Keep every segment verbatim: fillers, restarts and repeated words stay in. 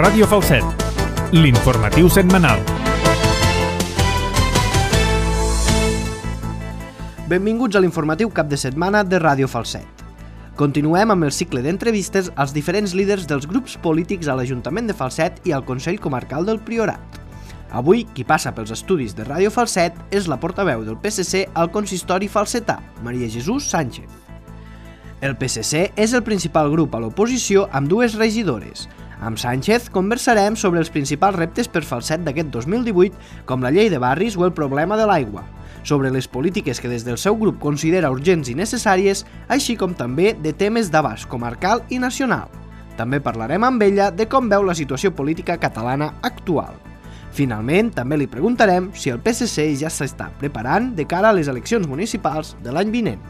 Ràdio Falset, l'informatiu setmanal. Benvinguts a l'informatiu cap de setmana de Ràdio Falset. Continuem amb el cicle d'entrevistes als diferents líders dels grups polítics a l'Ajuntament de Falset i al Consell Comarcal del Priorat. Avui, qui passa pels estudis de Ràdio Falset és la portaveu del P S C al consistori falsetà, Maria Jesús Sánchez. El P S C és el principal grup a l'oposició amb dues regidores. Amb Sánchez conversarem sobre els principals reptes per Falset d'aquest dos mil divuit, com la llei de barris o el problema de l'aigua, sobre les polítiques que des del seu grup considera urgents i necessàries, així com també de temes d'abast comarcal i nacional. També parlarem amb ella de com veu la situació política catalana actual. Finalment, també li preguntarem si el P S C ja s'està preparant de cara a les eleccions municipals de l'any vinent.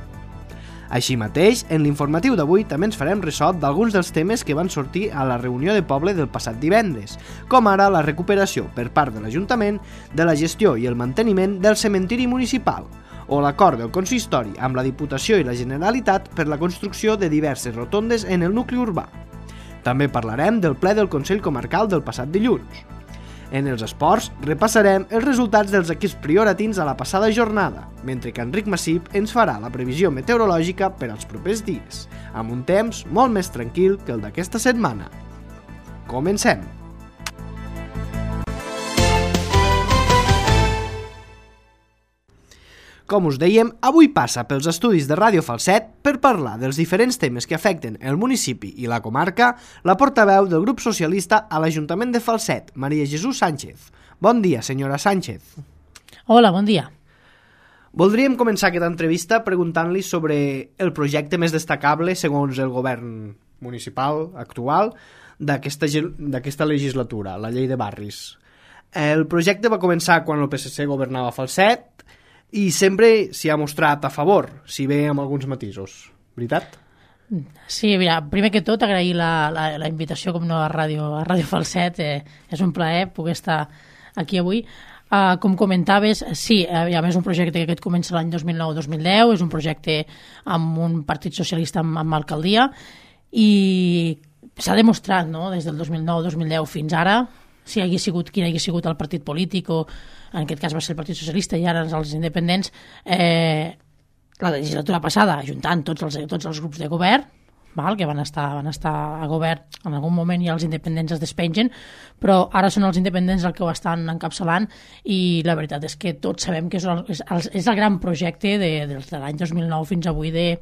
Així mateix, en l'informatiu d'avui també ens farem ressò d'alguns dels temes que van sortir a la reunió de poble del passat divendres, com ara la recuperació per part de l'Ajuntament de la gestió i el manteniment del cementiri municipal, o l'acord del consistori amb la Diputació i la Generalitat per la construcció de diverses rotondes en el nucli urbà. També parlarem del ple del Consell Comarcal del passat dilluns. En els esports, repassarem els resultats dels equips prioratins a la passada jornada, mentre que Enric Massip ens farà la previsió meteorològica per als propers dies, amb un temps molt més tranquil que el d'aquesta setmana. Comencem! Com us dèiem, avui passa pels estudis de Ràdio Falset per parlar dels diferents temes que afecten el municipi i la comarca la portaveu del grup socialista a l'Ajuntament de Falset, Maria Jesús Sánchez. Bon dia, senyora Sánchez. Hola, bon dia. Voldríem començar aquesta entrevista preguntant-li sobre el projecte més destacable, segons el govern municipal actual, d'aquesta, d'aquesta legislatura, la llei de barris. El projecte va començar quan el P S C governava Falset, i sempre s'hi ha mostrat a favor, si bé amb alguns matisos. Veritat? Sí, mira, primer que tot agrair la, la, la invitació com no a Ràdio, a Ràdio Falset. Eh, és un plaer poder estar aquí avui. Uh, com comentaves, sí, a més un projecte que aquest comença l'any dos mil nou dos mil deu, és un projecte amb un partit socialista amb, amb alcaldia i s'ha demostrat, no?, des del dos mil nou dos mil deu fins ara, si hagués sigut quin hagués sigut el partit polític o en aquest cas va ser el Partit Socialista i ara els independents, eh, la legislatura passada, ajuntant tots els, tots els grups de govern, val, que van estar, van estar a govern, en algun moment ja els independents es despengen, però ara són els independents els que ho estan encapçalant i la veritat és que tots sabem que és el, és el, és el gran projecte de, de, de l'any dos mil nou fins avui de,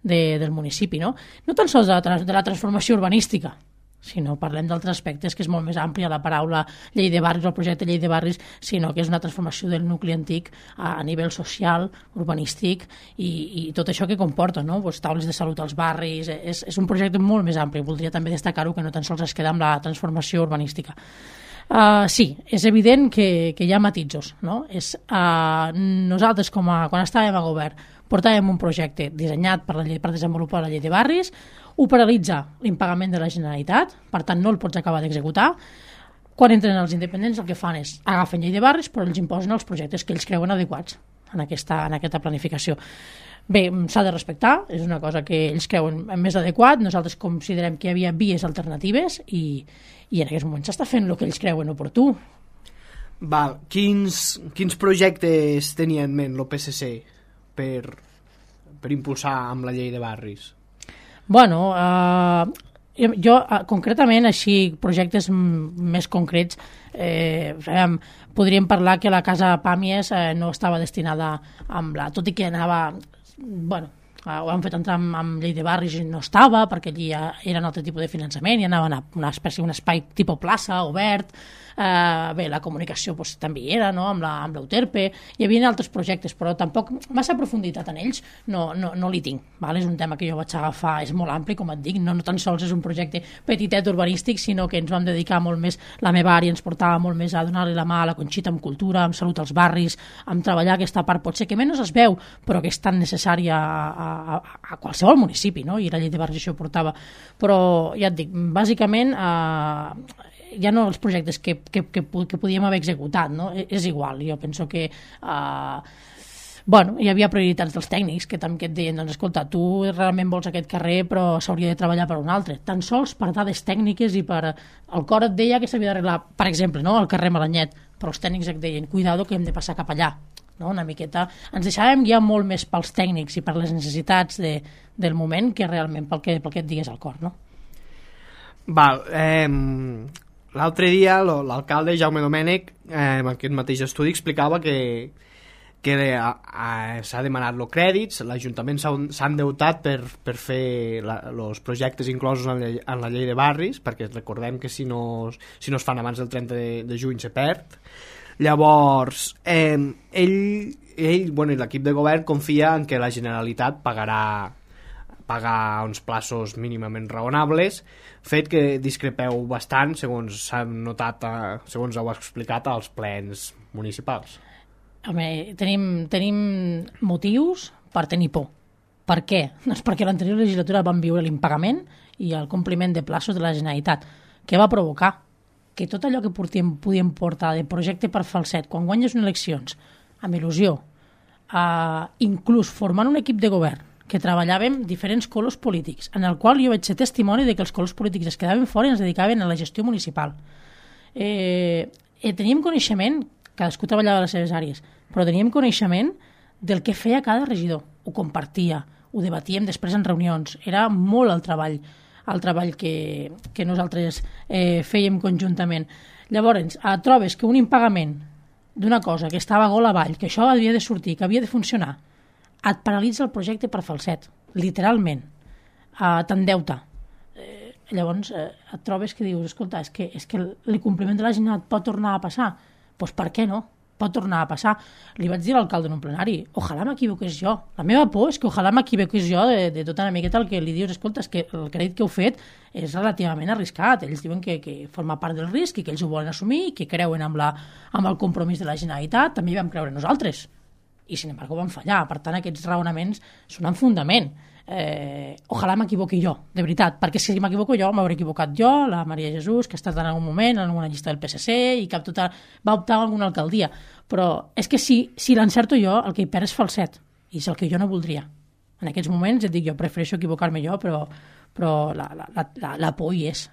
de, del municipi. No, no tan sols de la, de la transformació urbanística, sinó parlem d'altres aspectes, que és molt més àmplia la paraula llei de barris o el projecte llei de barris, sinó que és una transformació del nucli antic a, a nivell social, urbanístic i, i tot això que comporta, no? Pues, taules de salut als barris, és, és un projecte molt més ampli. Voldria també destacar-ho, que no tan sols es queda amb la transformació urbanística. Uh, sí, és evident que, que hi ha matisos, no? És, uh, nosaltres, com a, quan estàvem a govern, portàvem un projecte dissenyat per, la llei, per desenvolupar la llei de barris, ho paralitza l'impagament de la Generalitat, per tant no el pots acabar d'executar. Quan entren els independents el que fan és agafen llei de barris però els imposen els projectes que ells creuen adequats en aquesta, en aquesta planificació. Bé, s'ha de respectar, és una cosa que ells creuen més adequat, nosaltres considerem que hi havia vies alternatives i, i en aquest moment s'està fent el que ells creuen oportú. Val, quins, quins projectes tenia en ment el P S C per, per impulsar amb la llei de barris? Bueno, eh, jo eh, concretament, així, projectes m- més concrets, eh, podríem parlar que la Casa Pàmies eh, no estava destinada amb la... Tot i que anava... Bueno, eh, ho han fet entrar amb, amb llei de barris i no estava, perquè allí ja era un altre tipus de finançament i anaven a una espècie, un espai tipus plaça, obert. Uh, bé, la comunicació pues, també hi era, no? amb, la, amb l'Euterpe, hi havia altres projectes, però tampoc massa profunditat en ells no, no, no li tinc, val? És un tema que jo vaig agafar, és molt ampli, com et dic, no, no tan sols és un projecte petitet urbanístic, sinó que ens vam dedicar molt més, la meva àrea ens portava molt més a donar-li la mà a la Conxita amb cultura, amb salut als barris, amb treballar aquesta part potser que menys es veu, però que és tan necessària a, a, a qualsevol municipi, no? I la llei de barris això portava, però ja et dic, bàsicament eh, ja no els projectes que, que, que, que podíem haver executat, no? És igual, jo penso que uh, bueno, hi havia prioritats dels tècnics que també et deien, doncs escolta, tu realment vols aquest carrer però s'hauria de treballar per un altre, tan sols per dades tècniques i per... El cor et deia que s'havia d'arreglar, per exemple, no? El carrer Malanyet, però els tècnics et deien, cuidado que hem de passar cap allà, no? Una miqueta... Ens deixàvem guiar molt més pels tècnics i per les necessitats de, del moment que realment pel que, pel que et digués el cor, no? Val, eh, l'altre dia l'alcalde Jaume Domènech eh, en aquest mateix estudi explicava que que s'ha demanat els crèdits, l'Ajuntament s'ha endeutat per, per fer els projectes inclosos en la, en la llei de barris, perquè recordem que si no, si no es fan abans del trenta de, de juny se perd. Llavors, eh, ell, ell bueno, i l'equip de govern confia en que la Generalitat pagarà pagar uns plaços mínimament raonables, fet que discrepeu bastant, segons s'ha notat, segons heu explicat als plens municipals. Home, tenim, tenim motius per tenir por. Per què? Doncs perquè l'anterior legislatura vam viure l'impagament i el compliment de plaços de la Generalitat. Què va provocar? Que tot allò que portíem, podíem portar de projecte per falset, quan guanyes unes eleccions, amb il·lusió, eh, inclús formant un equip de govern, que treballàvem diferents colors polítics, en el qual jo vaig ser testimoni de que els colors polítics es quedaven fora i ens dedicaven a la gestió municipal. Eh, eh, teníem coneixement, cadascú treballava a les seves àrees, però teníem coneixement del que feia cada regidor. Ho compartia, ho debatíem després en reunions. Era molt el treball, el treball que, que nosaltres eh, fèiem conjuntament. Llavors, eh, trobes que un impagament d'una cosa que estava gol avall, que això havia de sortir, que havia de funcionar, et paralitza el projecte per falset, literalment. Eh, T'endeuta. Eh, llavors, eh, et trobes que dius, escolta, és que, és que el compliment de la Generalitat pot tornar a passar. Doncs per què no? Pot tornar a passar. Li vaig dir a l'alcalde en un plenari, ojalà m'equivoqués jo. La meva por és que ojalà m'equivoqués jo de, de tota una miqueta el que li dius, escolta, és que el crèdit que heu fet és relativament arriscat. Ells diuen que, que forma part del risc i que ells ho volen assumir i que creuen amb, la, amb el compromís de la Generalitat. També hi vam creure nosaltres. I, sin embargo, van fallar. Per tant, aquests raonaments són en fundament. Eh, ojalà m'equivoqui jo, de veritat, perquè si m'equivoco jo, m'hauré equivocat jo, la Maria Jesús, que ha estat en algun moment en alguna llista del P S C i que tota, va optar a alguna alcaldia, però és que si, si l'encerto jo, el que hi perd és falset, i és el que jo no voldria. En aquests moments, et dic, jo prefereixo equivocar-me jo, però, però la, la, la, la por hi és.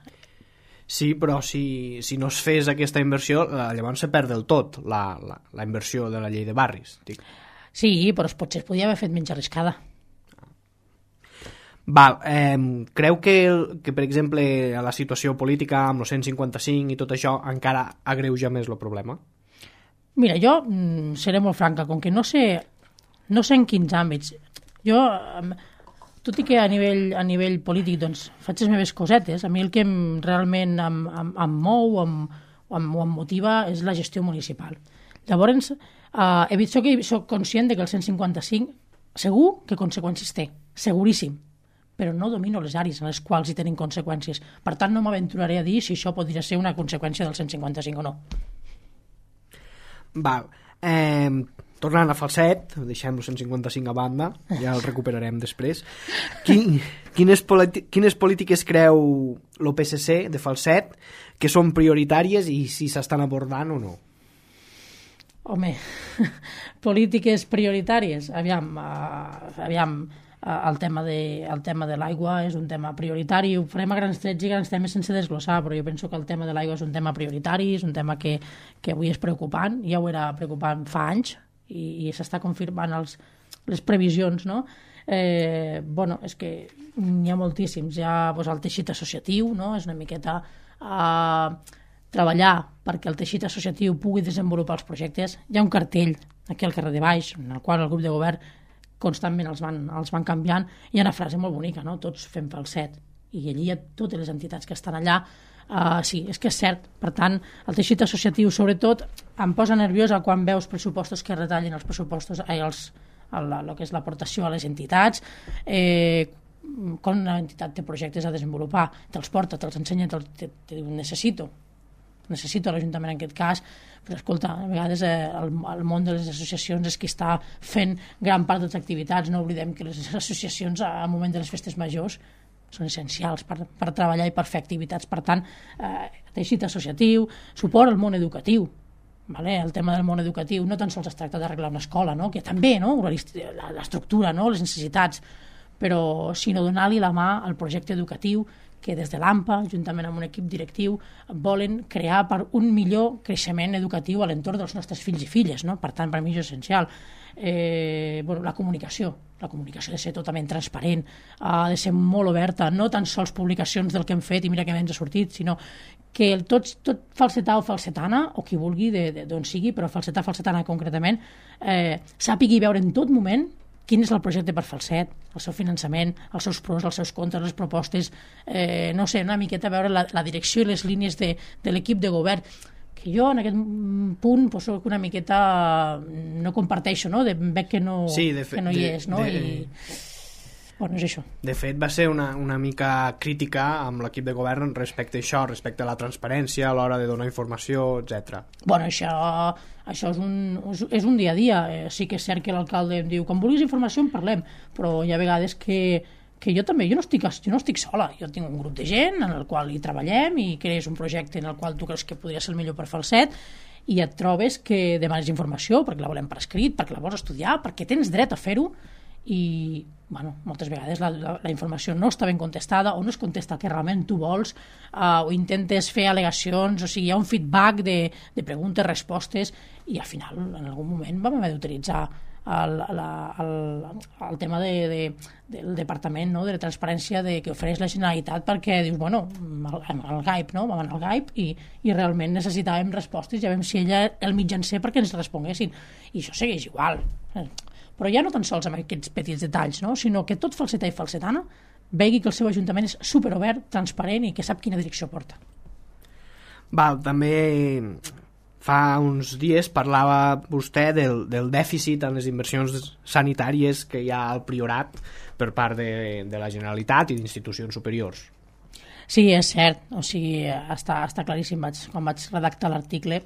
Sí, però si, si no es fes aquesta inversió, llavors se perd del tot la, la, la inversió de la llei de barris. Dic. Sí, però potser es podia haver fet menys arriscada. Val, eh, creu que, que, per exemple, a la situació política amb el cent cinquanta-cinc i tot això encara agreuja més el problema? Mira, jo mm, seré molt franca, com que no sé, no sé en quins àmbits. Jo, tot i que a nivell, a nivell polític doncs, faig les meves cosetes, a mi el que em, realment em, em, em mou o em, em, em motiva és la gestió municipal. Llavors, eh, he vist que soc conscient de que el cent cinquanta-cinc segur que conseqüències té, seguríssim, però no domino les àrees en les quals hi tenen conseqüències. Per tant, no m'aventuraré a dir si això podria ser una conseqüència del cent cinquanta-cinc o no. Val. Eh, tornant a Falset, deixem el cent cinquanta-cinc a banda, ja el recuperarem després. Quin, quines, quines polítiques creu el P S C de Falset que són prioritàries i si s'estan abordant o no? Home, polítiques prioritàries. Aviam, uh, aviam, el tema de, el tema de l'aigua és un tema prioritari, ho farem a grans trets i grans temes sense desglossar, però jo penso que el tema de l'aigua és un tema prioritari, és un tema que, que avui és preocupant, ja ho era preocupant fa anys i, i s'està confirmant els, les previsions, no? Eh, bueno, és que n'hi ha moltíssims, hi ha doncs, el teixit associatiu, no? És una miqueta eh, treballar perquè el teixit associatiu pugui desenvolupar els projectes. Hi ha un cartell aquí al carrer de Baix, en el qual el grup de govern constantment els van, els van canviant. Hi ha una frase molt bonica, no? Tots fem Falset, i allí hi ha totes les entitats que estan allà. Uh, sí, és que és cert. Per tant, el teixit associatiu, sobretot, em posa nerviosa quan veus pressupostos que retallen els pressupostos, eh, els, el, el que és l'aportació a les entitats, eh, quan una entitat té projectes a desenvolupar, te'ls porta, te'ls ensenya, te, te, te diu, necessito, necessito l'Ajuntament en aquest cas, però escolta, a vegades eh, el, el món de les associacions és qui està fent gran part de les activitats. No oblidem que les associacions al moment de les festes majors són essencials per, per treballar i per fer activitats. Per tant, eh, teixit associatiu, suport al món educatiu. vale? El tema del món educatiu no tan sols es tracta d'arreglar una escola, no? Que també, no? L'estructura, no? Les necessitats, però sinó donar-li la mà al projecte educatiu que des de l'AMPA, juntament amb un equip directiu, volen crear per un millor creixement educatiu a l'entorn dels nostres fills i filles, no? Per tant, per mi és essencial. Eh, bueno, la comunicació, la comunicació ha de ser totalment transparent, ha de ser molt oberta, no tan sols publicacions del que hem fet i mira que ens ha sortit, sinó que el tot, tot falsetà o falsetana, o qui vulgui, d'on sigui, però falsetà, falsetana concretament, eh, sàpigui veure en tot moment quin és el projecte per Falset, el seu finançament, els seus pros, els seus contres, les propostes, eh, no sé, una miqueta veure la, la direcció i les línies de, de l'equip de govern, que jo en aquest punt pues, soc una miqueta no comparteixo, no? De, veig que no, sí, de fe, que no hi de, és, no? De, I... Bueno, és això. De fet, va ser una, una mica crítica amb l'equip de govern respecte a això, respecte a la transparència a l'hora de donar informació, etcètera. Bueno, això, això és, un, és un dia a dia. Eh, sí que és cert que l'alcalde em diu quan vulguis informació en parlem, però hi ha vegades que, que jo també, jo no, estic, jo no estic sola, jo tinc un grup de gent en el qual hi treballem i crees un projecte en el qual tu creus que podria ser el millor per Falset i et trobes que demanes informació perquè la volem per escrit, perquè la vols estudiar, perquè tens dret a fer-ho i bueno, moltes vegades la, la, la informació no està ben contestada o no es contesta el que realment tu vols uh, o intentes fer al·legacions, o sigui, hi ha un feedback de, de preguntes, respostes i al final en algun moment vam haver d'utilitzar el, la, el, el tema de, de, del departament, no? De la transparència de, que ofereix la Generalitat perquè dius, bueno, el, el G A I P, no? Vam anar al G A I P i, i realment necessitàvem respostes, ja vam ser ella el mitjancer perquè ens responguessin i això segueix igual. Però ja no tan sols amb aquests petits detalls, no? Sinó que tot falsetà i falsetana vegi que el seu ajuntament és superobert, transparent i que sap quina direcció porta. Val, també fa uns dies parlava vostè del, del dèficit en les inversions sanitàries que hi ha al Priorat per part de, de la Generalitat i d'institucions superiors. Sí, és cert, o sigui, està, està claríssim. Vaig, quan vaig redactar l'article,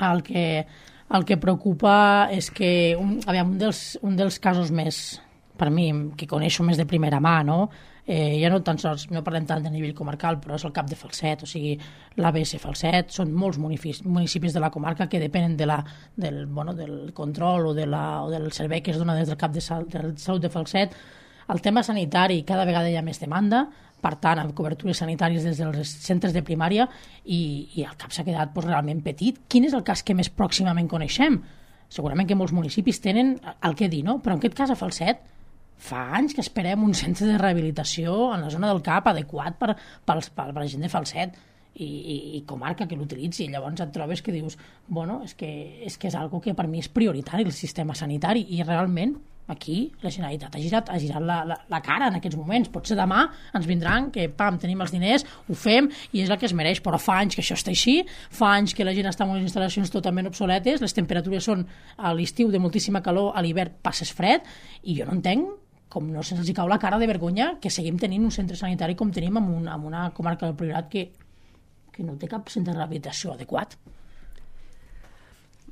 el que... El que preocupa és que un, aviam, un, dels, un dels casos més, per mi, que coneixo més de primera mà, no? Eh, ja no tan sols, no parlem tant de nivell comarcal, però és el cap de Falset, o sigui, l'A B S Falset, són molts municipis, municipis de la comarca que depenen de la, del, bueno, del control o, de la, o del servei que es dona des del cap de, sal, de salut de Falset. El tema sanitari, cada vegada hi ha més demanda, per tant, amb cobertures sanitàries des dels centres de primària i, i el cap s'ha quedat pues, realment petit. Quin és el cas que més pròximament coneixem? Segurament que molts municipis tenen el que dir, no? Però en aquest cas a Falset fa anys que esperem un centre de rehabilitació en la zona del cap adequat per, per, per, per la gent de Falset i, i, i comarca que l'utilitzi. Llavors et trobes que dius, bueno, és que és, que és algo que per mi és prioritari el sistema sanitari i realment aquí la Generalitat ha girat, ha girat la, la, la cara en aquests moments. Potser demà ens vindran que pam, tenim els diners, ho fem i és el que es mereix, però fa anys que això està així, fa anys que la gent està en unes instal·lacions totalment obsoletes, les temperatures són a l'estiu de moltíssima calor, a l'hivern passes fred i jo no entenc com no se'ls cau la cara de vergonya que seguim tenint un centre sanitari com tenim en, un, en una comarca del Priorat que, que no té cap centre de rehabilitació adequat.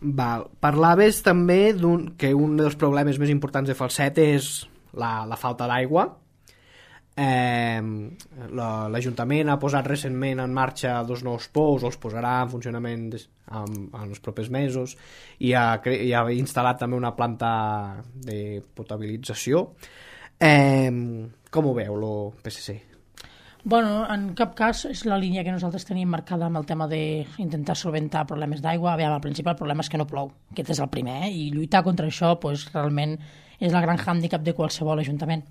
Val. Parlaves també d'un, que un dels problemes més importants de Falset és la, la falta d'aigua. Eh, L'Ajuntament ha posat recentment en marxa dos nous pous, els posarà en funcionament des, en, en els propers mesos i ha, i ha instal·lat també una planta de potabilització. Eh, com ho veu el P S C? Bueno, en cap cas és la línia que nosaltres tenim marcada amb el tema d'intentar solventar problemes d'aigua. Aviam, al principi el problema és que no plou, aquest és el primer, eh? I lluitar contra això pues, realment és el gran hàndicap de qualsevol ajuntament.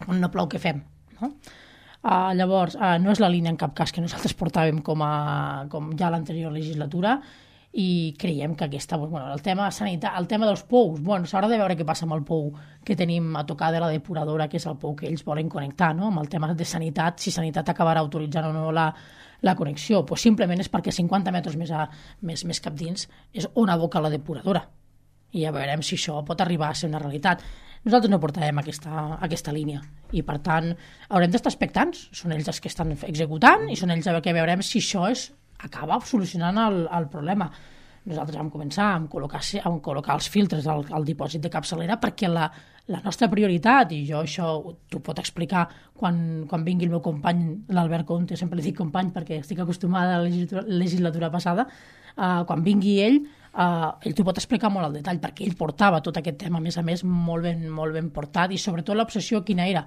Quan no plou, què fem? No? Uh, llavors, uh, no és la línia en cap cas que nosaltres portàvem com, a, com ja a l'anterior legislatura i creiem que aquesta, bueno, el tema sanitat, el tema dels pous, bueno, s'haurà de veure què passa amb el pou que tenim a tocar de la depuradora, que és el pou que ells volen connectar, no? Amb el tema de sanitat, si sanitat acabarà autoritzant o no la, la connexió, pues simplement és perquè cinquanta metres més, a, més, més cap dins és on aboca la depuradora i ja veurem si això pot arribar a ser una realitat. Nosaltres no portarem aquesta, aquesta línia i per tant haurem d'estar expectants, són ells els que estan executant i són ells els que veurem si això és acaba solucionant el, el problema. Nosaltres vam començar a col·locar, a col·locar els filtres al, al dipòsit de capçalera perquè la, la nostra prioritat, i jo això t'ho pot explicar quan, quan vingui el meu company, l'Albert Conte, sempre li dic company perquè estic acostumada a la legislatura, legislatura passada, uh, quan vingui ell, uh, ell t'ho pot explicar molt al detall, perquè ell portava tot aquest tema, a més a més, molt ben, molt ben portat, i sobretot l'obsessió quina era?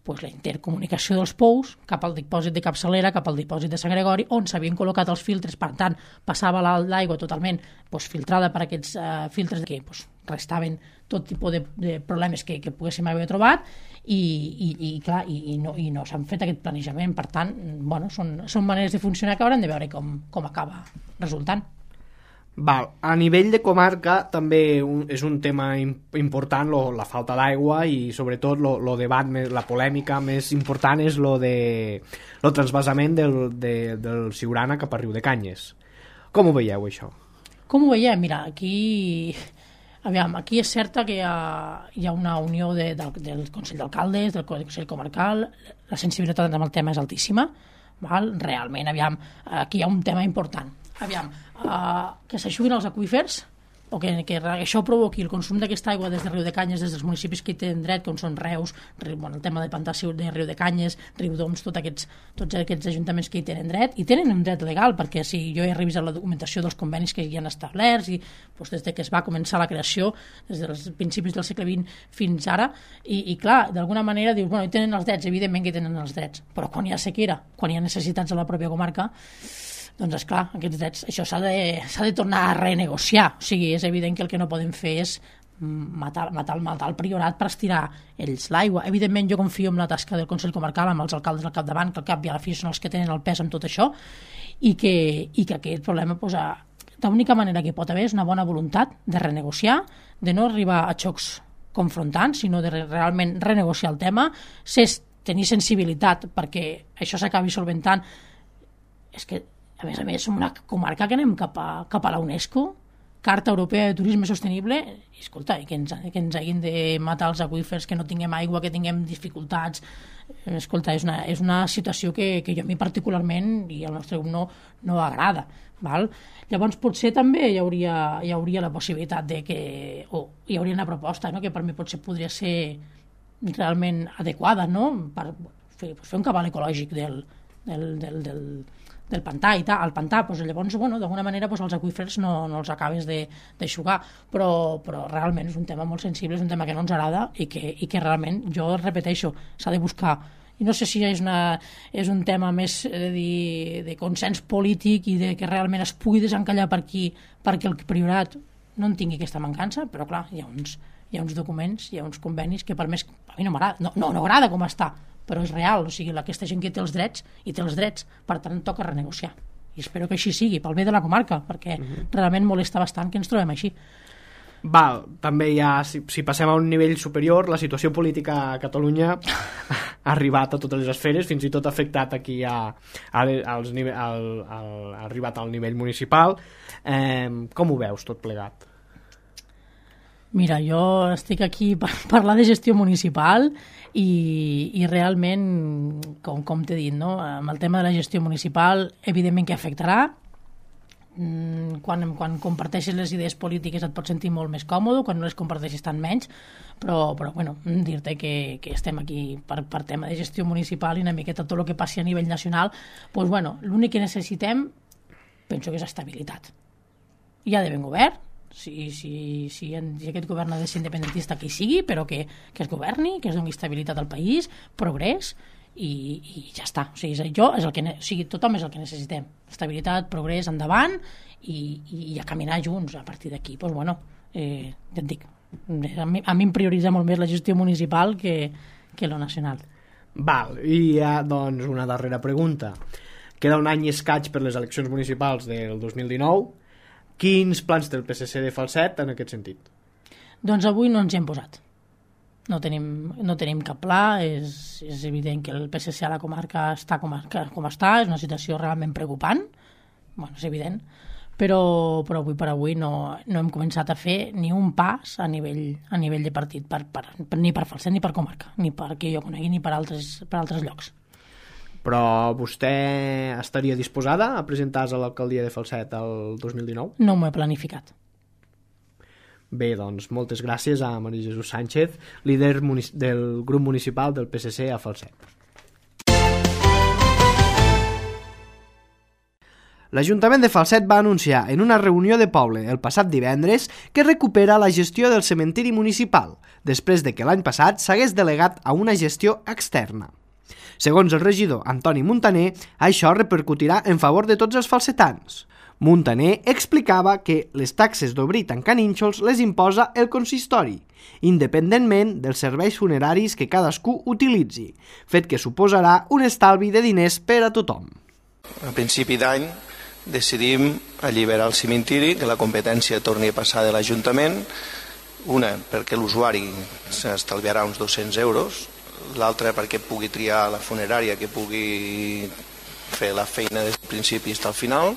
Pues la intercomunicació dels pous cap al dipòsit de Capçalera, cap al dipòsit de Sant Gregori, on s'havien col·locat els filtres, per tant, passava l'aigua totalment pues, filtrada per aquests uh, filtres que pues, restaven tot tipus de, de problemes que, que poguéssim haver trobat, i, i, i clar, i, i no, i no s'han fet aquest planejament. Per tant, bueno, són, són maneres de funcionar que haurem de veure com, com acaba resultant. Val. A nivell de comarca també un, és un tema important lo, la falta d'aigua i sobretot lo, lo debat, la polèmica més important és lo de lo transvasament del, de, del Siurana cap a Riudecanyes. Com ho veieu, això? Com ho veiem? Mira, aquí... Aviam, aquí és certa que hi ha, hi ha una unió de, del, del Consell d'Alcaldes, del Consell Comarcal, la sensibilitat amb el tema és altíssima, val? Realment, aviam, aquí hi ha un tema important. Aviam, uh, que s'aixuguin els aqüífers, o que, que això provoqui el consum d'aquesta aigua des de Riudecanyes, des dels municipis que hi tenen dret, com són Reus, bueno, el tema de Pantà de Riudecanyes, Riudoms, tots aquests, tots aquests ajuntaments que hi tenen dret, i tenen un dret legal, perquè si jo he revisat la documentació dels convenis que hi han establerts, i doncs, des de que es va començar la creació, des dels principis del segle vint fins ara, i, i clar, d'alguna manera dius, bueno, hi tenen els drets, evidentment que hi tenen els drets, però quan hi ha sequera, quan hi ha necessitats a la pròpia comarca, doncs, esclar, aquests drets, això s'ha de, s'ha de tornar a renegociar. O sigui, és evident que el que no podem fer és matar, matar, matar el priorat per estirar ells l'aigua. Evidentment, jo confio en la tasca del Consell Comarcal, amb els alcaldes al capdavant, que al cap i a la fi són els que tenen el pes en tot això, i que, i que aquest problema, doncs, l'única manera que pot haver és una bona voluntat de renegociar, de no arribar a xocs confrontants, sinó de realment renegociar el tema, ser, tenir sensibilitat perquè això s'acabi solventant. És que a més a més, som una comarca que anem cap a, cap a la UNESCO, Carta Europea de Turisme Sostenible, i escolta, i que ens, que ens hagin de matar els aqüífers, que no tinguem aigua, que tinguem dificultats. Escolta, és una, és una situació que, que jo a mi particularment i al nostre grup no, no agrada. Val? Llavors potser també hi hauria, hi hauria la possibilitat de que, o hi hauria una proposta, no?, que per mi potser podria ser realment adequada, no?, per fer, fer un cabal ecològic del, del, del, del del pantà i tal, al pantà, doncs llavors, bueno, d'alguna manera doncs, els aqüífers no, no els acabes d'eixugar, però, però realment és un tema molt sensible, és un tema que no ens agrada i que, i que realment, jo repeteixo, s'ha de buscar, i no sé si és, una, és un tema més de, dir, de consens polític i de que realment es pugui desencallar per aquí perquè el priorat no en tingui aquesta mancança, però clar, hi ha uns, hi ha uns documents, hi ha uns convenis que per més, a mi no m'agrada, no, no, no agrada com està, però és real, o sigui, aquesta gent que té els drets i té els drets, per tant toca renegociar, i espero que així sigui, pel bé de la comarca, perquè uh-huh. realment molesta bastant que ens trobem així. Val, també hi ha, si, si passem a un nivell superior, la situació política a Catalunya ha arribat a totes les esferes, fins i tot ha afectat aquí a, a, als nivell, al, al, ha arribat al nivell municipal. Eh, com ho veus tot plegat? Mira, jo estic aquí per parlar de gestió municipal i, i realment, com, com t'he dit, no? Amb el tema de la gestió municipal, evidentment que afectarà. Quan, quan comparteixes les idees polítiques et pots sentir molt més còmode, quan no les comparteixes tant menys, però, però bueno, dir-te que, que estem aquí per, per tema de gestió municipal i una miqueta tot el que passi a nivell nacional, doncs bueno, l'únic que necessitem penso que és estabilitat. Hi ha d'haver un govern, Si, si, si, si aquest govern ha de ser independentista, que hi sigui, però que, que es governi, que es doni estabilitat al país, progrés, i, i ja està. O sigui, jo és el que, o sigui, tothom és el que necessitem. Estabilitat, progrés, endavant, i, i, i a caminar junts a partir d'aquí. Doncs, bueno, eh, ja et dic, a mi, a mi em prioritza molt més la gestió municipal que, que lo nacional. Val, i hi ha, doncs, una darrera pregunta. Queda un any i escaig per les eleccions municipals del dos mil dinou. Quins plans té el P S C de Falset en aquest sentit? Doncs avui no ens hi hem posat. No tenim, no tenim cap pla, és, és evident que el P S C a la comarca està com, com està, és una situació realment preocupant, bueno, és evident, però, però avui per avui no, no hem començat a fer ni un pas a nivell, a nivell de partit, per, per, per, ni per Falset ni per comarca, ni perquè jo conegui ni per altres, per altres llocs. Però vostè estaria disposada a presentar-se a l'alcaldia de Falset el dos mil dinou? No m'ho he planificat. Bé, doncs, moltes gràcies a Maria Jesús Sánchez, líder del grup municipal del P S C a Falset. L'Ajuntament de Falset va anunciar en una reunió de poble el passat divendres que recupera la gestió del cementiri municipal, després de que l'any passat s'hagués delegat a una gestió externa. Segons el regidor Antoni Muntaner, això repercutirà en favor de tots els falsetans. Muntaner explicava que les taxes d'obrir i tancar nínxols les imposa el consistori, independentment dels serveis funeraris que cadascú utilitzi, fet que suposarà un estalvi de diners per a tothom. A principi d'any decidim alliberar el cementiri, que la competència torni a passar de l'Ajuntament, una perquè l'usuari s'estalviarà uns dos-cents euros, l'altra perquè pugui triar la funerària, que pugui fer la feina des del principi fins al final.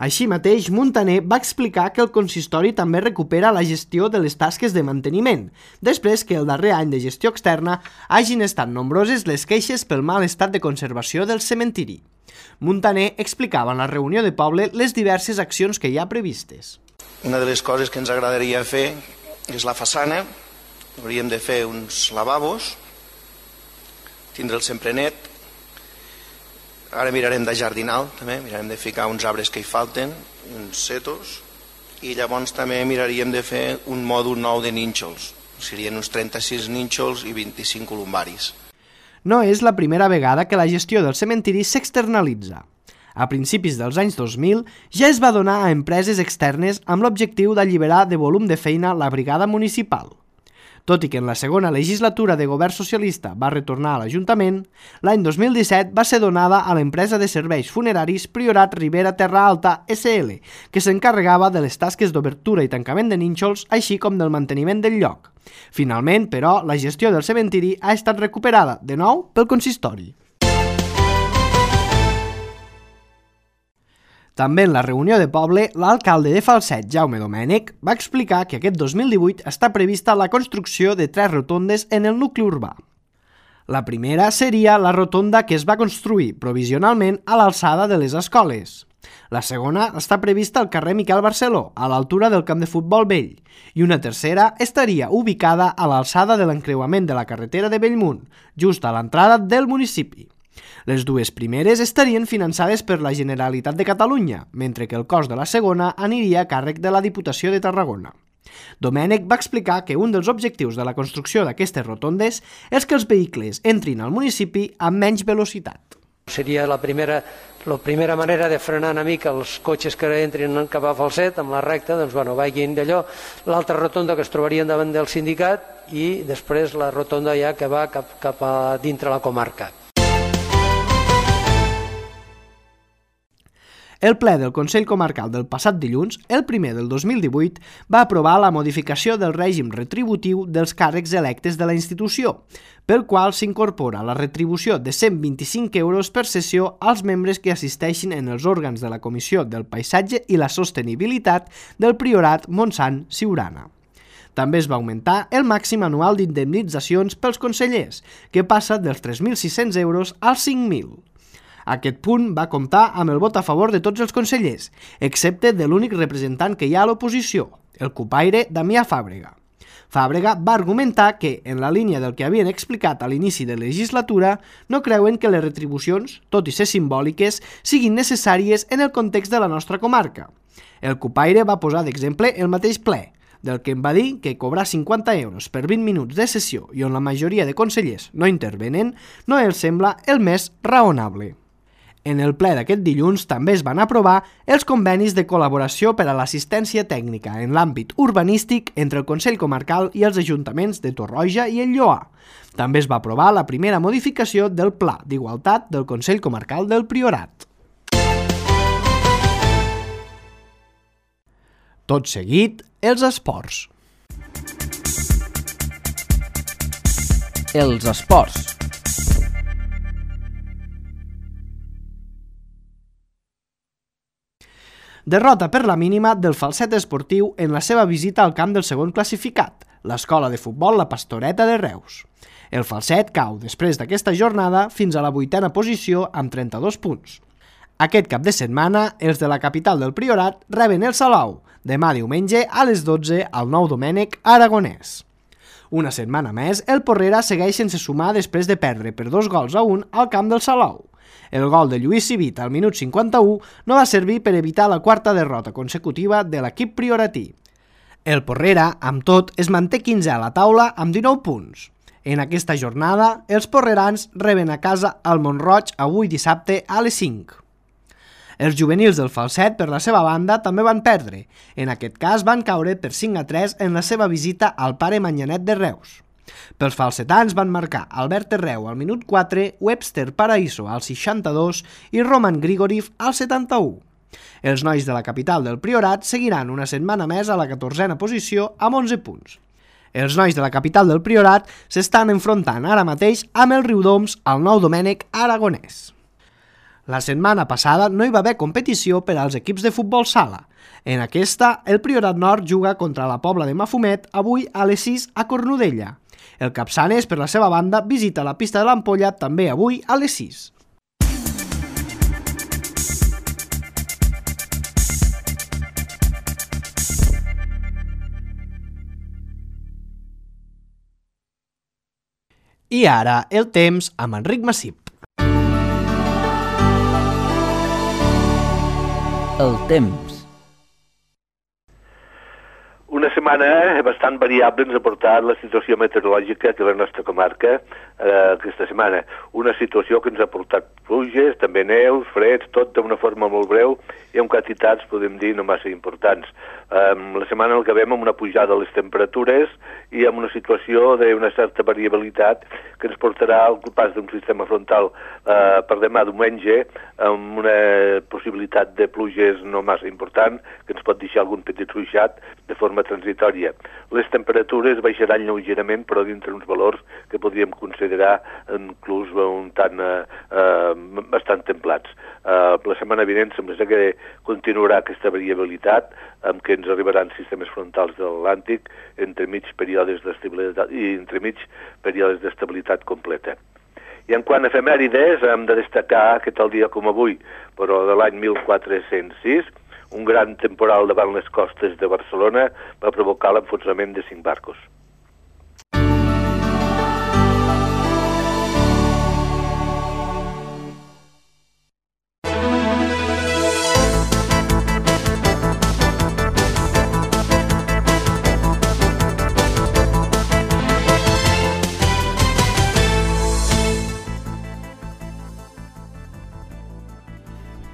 Així mateix, Muntaner va explicar que el consistori també recupera la gestió de les tasques de manteniment, després que el darrer any de gestió externa hagin estat nombroses les queixes pel mal estat de conservació del cementiri. Muntaner explicava en la reunió de poble les diverses accions que hi ha previstes. Una de les coses que ens agradaria fer és la façana. Hauríem de fer uns lavabos, tindre'l sempre net. Ara mirarem de jardinar, també, mirarem de ficar uns arbres que hi falten, uns setos, i llavors també miraríem de fer un mòdul nou de nínxols. Serien uns trenta-sis nínxols i vint-i-cinc columbaris. No és la primera vegada que la gestió del cementiri s'externalitza. A principis dels anys dos mil ja es va donar a empreses externes amb l'objectiu d'alliberar de volum de feina la brigada municipal. Tot i que en la segona legislatura de govern socialista va retornar a l'Ajuntament, l'any dos mil disset va ser donada a l'empresa de serveis funeraris Priorat Ribera Terra Alta S L, que s'encarregava de les tasques d'obertura i tancament de nínxols, així com del manteniment del lloc. Finalment, però, la gestió del cementiri ha estat recuperada, de nou, pel consistori. També en la reunió de poble, l'alcalde de Falset, Jaume Domènech, va explicar que aquest dos mil divuit està prevista la construcció de tres rotondes en el nucli urbà. La primera seria la rotonda que es va construir provisionalment a l'alçada de les escoles. La segona està prevista al carrer Miquel Barceló, a l'altura del camp de futbol vell, i una tercera estaria ubicada a l'alçada de l'encreuament de la carretera de Bellmunt, just a l'entrada del municipi. Les dues primeres estarien finançades per la Generalitat de Catalunya, mentre que el cost de la segona aniria a càrrec de la Diputació de Tarragona. Domènech va explicar que un dels objectius de la construcció d'aquestes rotondes és que els vehicles entrin al municipi amb menys velocitat. Seria la primera, la primera manera de frenar una mica els cotxes que entrin cap a Falset, amb la recta, doncs, bueno, vagin d'allò. L'altra rotonda que es trobarien davant del sindicat i després la rotonda ja que va cap, cap a dintre la comarca. El ple del Consell Comarcal del passat dilluns, el primer del dos mil divuit, va aprovar la modificació del règim retributiu dels càrrecs electes de la institució, pel qual s'incorpora la retribució de cent vint-i-cinc euros per sessió als membres que assisteixin en els òrgans de la Comissió del Paisatge i la Sostenibilitat del Priorat Montsant-Siurana. També es va augmentar el màxim anual d'indemnitzacions pels consellers, que passa dels tres mil sis-cents euros als cinc mil. Aquest punt va comptar amb el vot a favor de tots els consellers, excepte de l'únic representant que hi ha a l'oposició, el cupaire Damià Fàbrega. Fàbrega va argumentar que, en la línia del que havien explicat a l'inici de la legislatura, no creuen que les retribucions, tot i ser simbòliques, siguin necessàries en el context de la nostra comarca. El cupaire va posar d'exemple el mateix ple, del que em va dir que cobrar cinquanta euros per vint minuts de sessió i on la majoria de consellers no intervenen no els sembla el més raonable. En el ple d'aquest dilluns també es van aprovar els convenis de col·laboració per a l'assistència tècnica en l'àmbit urbanístic entre el Consell Comarcal i els ajuntaments de Torroja i el Lloar. També es va aprovar la primera modificació del Pla d'Igualtat del Consell Comarcal del Priorat. Tot seguit, els esports. Els esports. Derrota per la mínima del Falset Esportiu en la seva visita al camp del segon classificat, l'escola de futbol La Pastoreta de Reus. El Falset cau després d'aquesta jornada fins a la vuitena posició amb trenta-dos punts. Aquest cap de setmana, els de la capital del Priorat reben el Salou, demà diumenge a les dotze al Nou Domènec Aragonès. Una setmana més, el Porrera segueix sense sumar després de perdre per dos gols a un al camp del Salou. El gol de Lluís Civit al minut cinquanta-u no va servir per evitar la quarta derrota consecutiva de l'equip prioratí. El Porrera, amb tot, es manté quinzè a la taula amb dinou punts. En aquesta jornada, els porrerans reben a casa el Mont-roig avui dissabte a les cinc. Els juvenils del Falset, per la seva banda, també van perdre. En aquest cas van caure per cinc a tres en la seva visita al Pare Manyanet de Reus. Pels falsetans van marcar Albert Terreu al minut quatre, Webster Paraíso al seixanta-dos i Roman Grigoriev al setanta-u. Els nois de la capital del Priorat seguiran una setmana més a la catorzena posició amb onze punts. Els nois de la capital del Priorat s'estan enfrontant ara mateix amb el Riudoms al Nou Domènec Aragonès. La setmana passada no hi va haver competició per als equips de futbol sala. En aquesta, el Priorat Nord juga contra la Pobla de Mafumet avui a les sis a Cornudella. El Capçanes, per la seva banda, visita la pista de l'Ampolla també avui a les sis. I ara, el temps amb Enric Massip. El temps. Una setmana bastant variable ens ha portat la situació meteorològica que la nostra comarca eh, aquesta setmana. Una situació que ens ha portat pluges, també neus, freds, tot d'una forma molt breu i amb quantitats, podem dir, no massa importants. Eh, la setmana el que veiem amb una pujada de les temperatures i amb una situació d'una certa variabilitat que ens portarà al pas d'un sistema frontal eh, per demà diumenge amb una possibilitat de pluges no massa important que ens pot deixar algun petit ruixat de forma transitòria. Les temperatures baixaran lleugerament, però dintre uns valors que podríem considerar inclús un tant eh, eh, bastant templats. Eh, la setmana vinent sembla que continuarà aquesta variabilitat amb què ens arribaran sistemes frontals de l'Atlàntic entre mig períodes d'estabilitat i entre mig períodes d'estabilitat completa. I en quant a efemèrides, hem de destacar que tal dia com avui, però de l'any mil quatre-cents sis, un gran temporal davant les costes de Barcelona va provocar l'enfonsament de cinc barcos.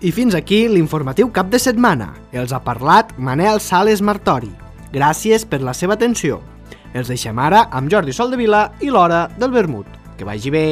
I fins aquí l'informatiu cap de setmana. Els ha parlat Manel Sales Martori. Gràcies per la seva atenció. Els deixem ara amb Jordi Soldevila i l'Hora del Vermut. Que vagi bé!